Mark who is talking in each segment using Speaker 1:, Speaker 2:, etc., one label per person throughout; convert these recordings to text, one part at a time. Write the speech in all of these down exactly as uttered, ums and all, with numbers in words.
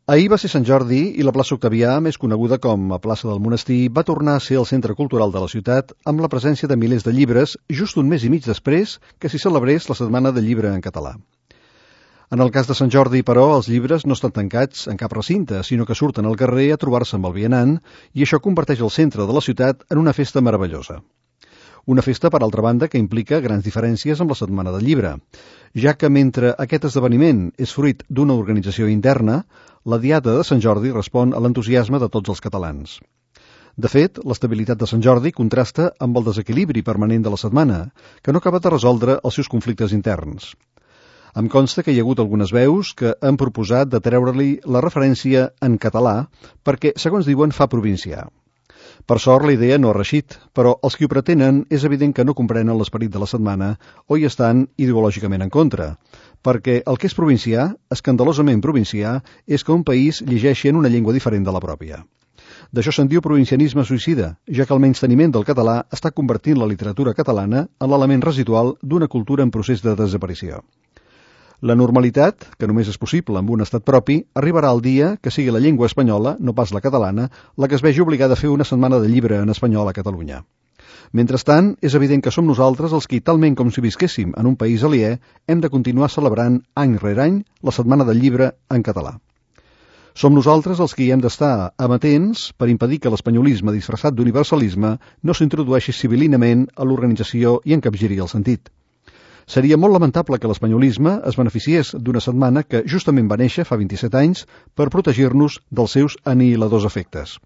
Speaker 1: Ahir va ser Sant Jordi i la plaça Octavià, més coneguda com a plaça del Monestir, va tornar a ser el centre cultural de la ciutat amb la presència de milers de llibres just un mes i mig després que s'hi celebrés la Setmana del Llibre en català. En el cas de Sant Jordi, però, els llibres no estan tancats en cap recinte, sinó que surten al carrer a trobar-se amb el vianant i això converteix el centre de la ciutat en una festa meravellosa. Una festa, per altra banda, que implica grans diferències amb la Setmana del Llibre, ja que mentre aquest esdeveniment és fruit d'una organització interna, la Diada de Sant Jordi respon a l'entusiasme de tots els catalans. De fet, l'estabilitat de Sant Jordi contrasta amb el desequilibri permanent de la setmana, que no acaba de resoldre els seus conflictes interns. Em consta que hi ha hagut algunes veus que han proposat de treure-li la referència en català perquè, segons diuen, fa provincià. Per sort, la idea no ha reixit, però els qui ho pretenen és evident que no comprenen l'esperit de la setmana o hi estan ideològicament en contra, perquè el que és provincià, escandalosament provincià, és que un país llegeixi en una llengua diferent de la pròpia. D'això se'n diu provincianisme suïcida, ja que el menysteniment del català està convertint la literatura catalana en l'element residual d'una cultura en procés de desaparició. La normalitat, que només és possible amb un estat propi, arribarà el dia que sigui la llengua espanyola, no pas la catalana, la que es vegi obligada a fer una setmana de llibre en espanyol a Catalunya. Mentrestant, és evident que som nosaltres els que, talment com si visquéssim en un país aliè, hem de continuar celebrant any rere any la Setmana del Llibre en català. Som nosaltres els que hi hem d'estar amatents per impedir que l'espanyolisme disfressat d'universalisme no s'introdueixi civilinament a l'organització i encapgiri el sentit. Seria molt lamentable que l'espanyolisme es beneficiés d'una setmana que justament va néixer fa vint-i-set anys per protegir-nos dels seus anihiladors efectes.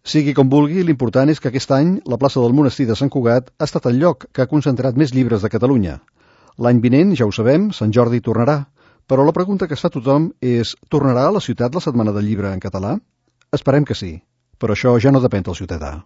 Speaker 1: Sigui com vulgui, l'important és que aquest any la plaça del Monestir de Sant Cugat ha estat el lloc que ha concentrat més llibres de Catalunya. L'any vinent, ja ho sabem, Sant Jordi tornarà, però la pregunta que es fa tothom és: tornarà a la ciutat la Setmana del Llibre en català? Esperem que sí, però això ja no depèn del ciutadà.